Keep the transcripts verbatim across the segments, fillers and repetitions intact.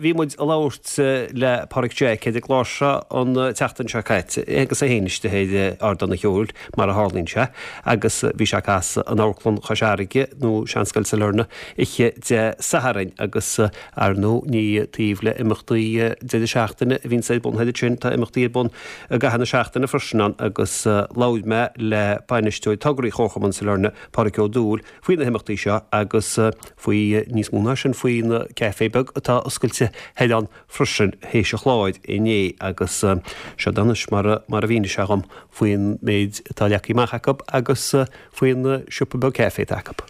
Bhí muid ag labhairt le Páraic Jack ar an gclár seo an tseachtain seo caite agus é féin istigh ar ardán an cheoil mar a tharlaíonn sé agus bhí sé ag casadh in Amharclann Chois Fharraige nó Seanscoil Sailearna oíche Dé Sathairn agus ar ndóigh ní taobh le imeachtaí deireadh seachtaine a bhíonn ar bun thoir ansin, tá imeachtaí ar bun i gcaitheamh na seachtaine freisin ann agus labhair mé le bainisteoir tograí Chomharchumann Sailearna, Páraic Ó Dúill, faoi na himeachtaí seo agus faoi níos mó ná sin faoin caife beag atá oscailte thoir ann freisin théis an chláir inné agus seo anois mar a mar a mhínigh sé dhom faoin méid atá leagtha amach acu agus faoin siopa beag caife atá acu.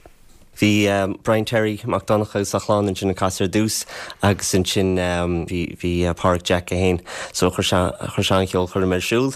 Bhí Brian Terry Mac Donncha agus a chlann ansin ag casadh ar dtús agus ansin bhí bhí Páraic Jack é féin so chuir sé chuir sé an cheolchoirm ar siúl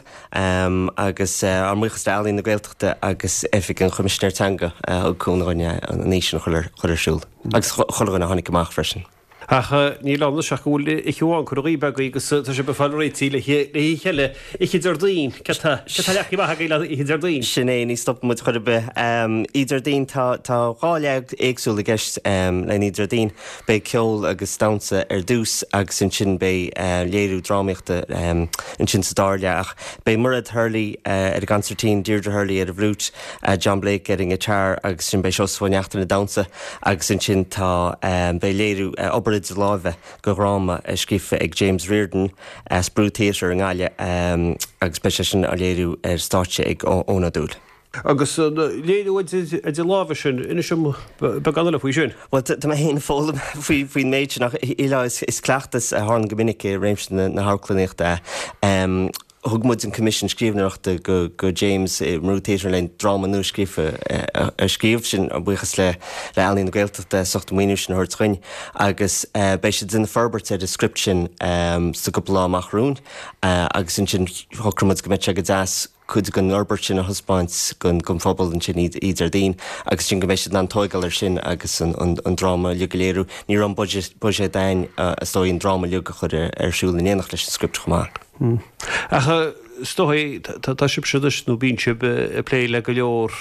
agus ár mbuíochas le Ealaín na Gaeltachta agus Oifig an Choimisinéir Teanga a thug cúnamh dhúinn an oíche sin a chur chur ar siúl agus chuile dhuine a tháinig amach freisin. Ach níl ann anois ach go bhfuil oíche amháin curtha dhaoibh agaibh agus tá sibh ag fáil réitithe le hoíche eile, oíche Déardaoin. Céard tá leagtha amach agaibh le oíche Déardaoin? Sin é, ní stopann muid chor ar bith. Oíche Déardaoin, tá tá dhá leath éagsúil i gceist le oíche Déardaoin. Beidh ceol agus damhsa ar dtús agus ansin beidh léiriú drámaíochta ansin sa dara leath. Ach beidh Mairéad Hurley ar an gconsairtín, Deirdre Hurley ar an bhfliúit, John Blake ar an ngiotár agus ansin beidh Seosamh Ó Neachtain ag damhsa agus ansin tá beidh léiriú obair idir láimhe de dhráma scríofa ag James Riordan as Brú Theatre i nGaillimh agus beidh sé sin á léiriú ar stáitse ag Eoin Ó Dúill. Agus an léiriú idir láimhe sin, inis dom beagán eile faoi sin. Bhuel, tá mé féin ag foghlaim faoin méid sin ach is cleachtas a tharlaíonn go minic i réimse na hamharclannaíochta é. Thug muid an coimisiún scríbhneoireachta go go James i mBrú Theatre le dráma nua scríofa a scríobh, sin buíochas le le Ealaín na Gaeltachta as ucht an maoiniú sin a thabhairt chugainn agus beidh siad ag déanamh forbairt ar an script sin sa gcúpla lá amach romhainn agus ansin shocraigh muid go mbeadh sé go deas cuid den fhorbairt sin a thaispeáint don phobal ansin oíche Déardaoin agus sin go mbeidh siad in ann tóigeáil ar sin agus an dráma uilig a léiriú. Ní raibh an buiséad againn is dóigh an dráma uilig a chur ar siúl in éineacht leis an script chomh maith. Ach is dóigh tá sibhse anois nó bíonn sibh ag plé le go leor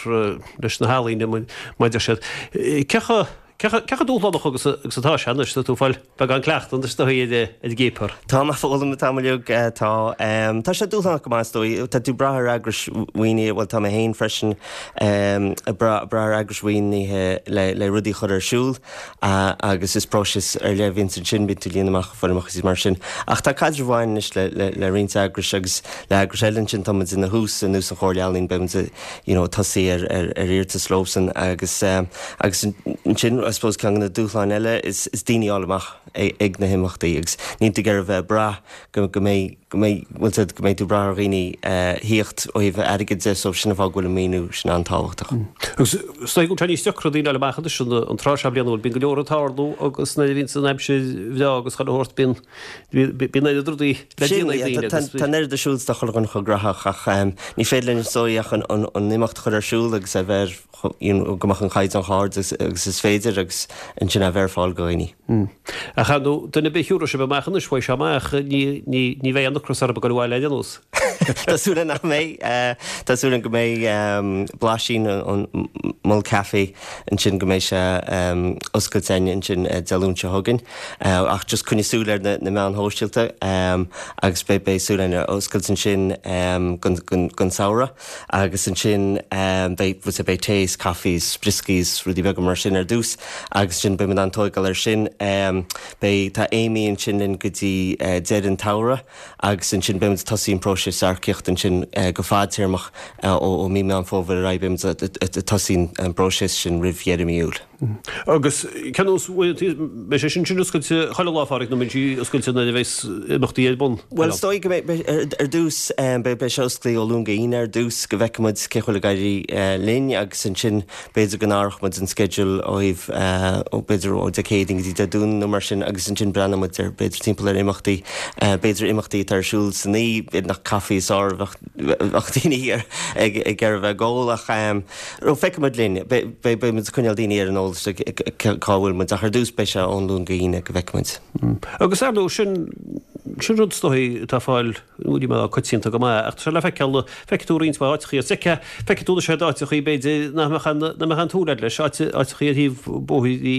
leis na healaíona mar a deir siad. Cé chomh Cé chomh dúshlánach agus atá sé anois? Tá tú ag fáil beagán cleachtaidh anois is dóigh ar an gcéapar. Tá mé ag foghlaim an t-am uilig. Tá. Tá sé dúshlánach go maith is dóigh. Tá tú ag brath ar eagrais mhaoinithe, bhuel tá mé féin freisin ag brath ar eagrais mhaoinithe le le rudaí a chur ar siúl agus is próiseas ar leith a bhíonns ansin, bíonn tú ag líonadh amach foirmeacha is mar sin. Ach tá caidreamh mhaith anois le le le roinnt eagrais agus le heagrais eile ansin tá muid ina thús, ar nós an Chomhairle Ealaíon, beidh muid you know tosaí ar ar ar iarratas leosan agus agus ansin I suppose ceann de na dúshláin eile is is daoine a fháil amach ag na himeachtaí agus níl tú ag iarraidh a bheith ag brath go go mbeidh go mbeidh bhfuil a fhios agat go mbeidh tú ag brath ar dhaoine thíocht ó thaobh airgid de so sin an fáth go bhfuil an maoiniú sin an-tábhachtach. Agus is dóigh go bhfuil sé níos deacra daoine a fháil amach anois an tráth seo bliana bhfuil bíonn go leor ag tarlú agus nuair a bhíonn san aimsir bhreá agus chuile shórt bíonn Bíonn oiread rudaí le déanamh ag daoine agus. Tá an oiread ar siúl is tá chuile dhuine chomh gnóthach ach ní féidir linn is dóigh ach an imeacht a chur ar siúl agus a bheith go mbeadh an caighdeán chomh hard agus is féidir agus ansin a bheith ar fáil do dhaoine. Ach ar ndóigh, duine ar bith a thiúrfaidh sibh amach anois, bhfaighidh sé amach, ní bheidh aon ocras orthu ag goil abhaile ar aon nós. Tá súil againn nach mbeidh. Tá súil againn go mbeidh blaisín an Mol Café ansin go mbeidh sé oscailte againn ansin Dé Luain seo chugainn. Ach just coinnigh súil ar na meáin shóisialta agus beidh beidh súil againn a oscailt ansin don samhradh agus ansin beidh beidh tae is caife is brioscaí is rudaí beaga mar sin ar dtús agus ansin beidh muid in ann tóigeáil ar sin. Beidh tá Amy ansin linn go dtí deireadh an tsamhraidh agus ansin beidh muid ag tosaí an próiseas earcaíochta ansin go fadtéarmach ó mí Meán Fómhair ar aghaidh beidh muid ag tosaí an bpróiseas sin roimh dheireadh mí Iúil. Agus cén nós, beidh sé sin sin oscailte chuile lá, a Pháraic, nó beidh sí oscailte nuair a bheas imeachtaí ar bun? Bhuel, is dóigh go mbeidh, ar dtús, beidh sé oscailte ó Luan go hAoine ar dtús, go bhfeicfidh muid cé chomh bhfuil ag éirí linn agus ansin b'fhéidir go n-athródh muid an sceideal ó thaobh, b'fhéidir ó Dé Céadaoin go dtí Dé Domhnaigh nó mar sin agus ansin breathnóidh muid ar, b'fhéidir timpeall ar imeachtaí, b'fhéidir imeachtaí atá ar siúl san oíche, b'fhéidir nach caife is fearr a bheadh daoine ag iarraidh a bheith ag ól ach. Ó, feicfidh muid linn. Beidh muid ag coinneáil daoine ar an eolas cá bhfuil muid, ach ar dtús beidh sé ón Luan go hAoine go bhfeicfidh muid. Agus ar ndóigh, sin, sin rud is dóigh atá ag fáil Ní mé coitianta go maith, ach tá sé le feiceáil, feicfidh tú roinnt mhaith áiteachaí is feicfidh, feicfidh tú sé áiteachaí b'fhéidir nach mbeadh an, nach mbeadh an tsúil agat leis, áit, áiteachaí ar thaobh bóthair i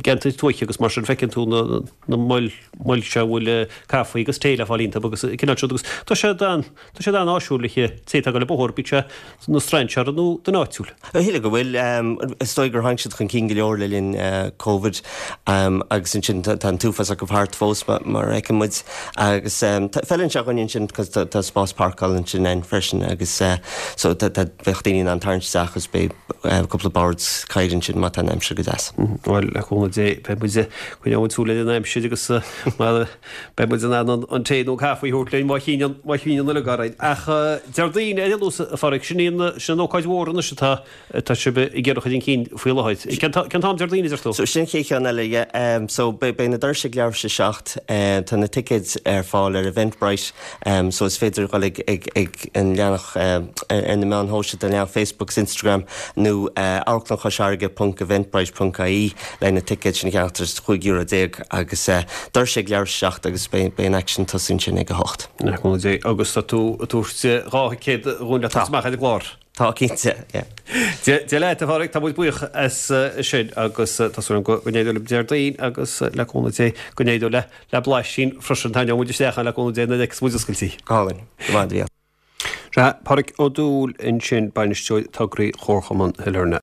gceantair tuaithe agus mar sin feiceann tú na, na moil, moil seo a bhfuil caife agus tae le fáil iontu agus an cineál sin agus tá sé an, tá sé an-áisiúil le té atá ag dul an bóthar, bíodh sé ina strainséir nó duine áitiúil. Shíl go bhfuil, is dóigh gur tháinig siad chun cinn go leor le linn Covid agus ansin tá an t-uafás acu thart fós mar a fheiceann muid agus feileann sé dhúinn ansin cos tá spás páirceála ansin ann freisin agus so tá bheadh daoine in ann tarraingt isteach agus beidh cúpla bord cathaoir ansin má tá an aimsir go deas. Bhuel, le cúnamh Dé, beidh muid, coinneoidh muid súil ar an aimsir agus beidh muid in ann an tae nó caife a thabhairt linn má chinneann, má chinneann uilig orainn. Ach Déardaoin ar aon nós, a Phádraig, sin í an, sin an ócáid mhór anois atá, atá sibh ag iarraidh a chur chun cinn faoi láthair. Cén t-am Déardaoin a deir tú? So sin an chéad cheann eile, yeah. So beidh na doirse ag leathuair tar éis a seacht. Tá na ticéid ar fáil ar Eventbrite so is féidir dhul ag ag ag an leathanach ar na meáin shóisialta, an leathanach Facebook agus Instagram nó Amharclann Chois Fharraige ponc eventbrite ponc ie le na ticéid sin a cheannach tar chúig euro déag agus doirse ag leathuair tar éis a seacht agus beidh beidh an aicsean tosaí ansin ag a hocht. Agus tá tú ag tabhairt dhá thicéad dhúinn le tabhairt amach ar an gclár. Tá cinnte, yeah. Dia leat, a Phádraig, tá muid buíoch as sin agus tá súil agam go n-éireoidh libh Déardaoin agus le cúnamh Dé go n-éireoidh le le blaisín freisin. Tarraingeoidh muid isteach ann le cúnamh Dé nuair a fheicfeas muid oscailte í. Go hálainn. Go maith, a Mhícheáil. Sea, Pádraig Ó Dúill ansin, bainisteoir tograí Chomharchumann Shailearna.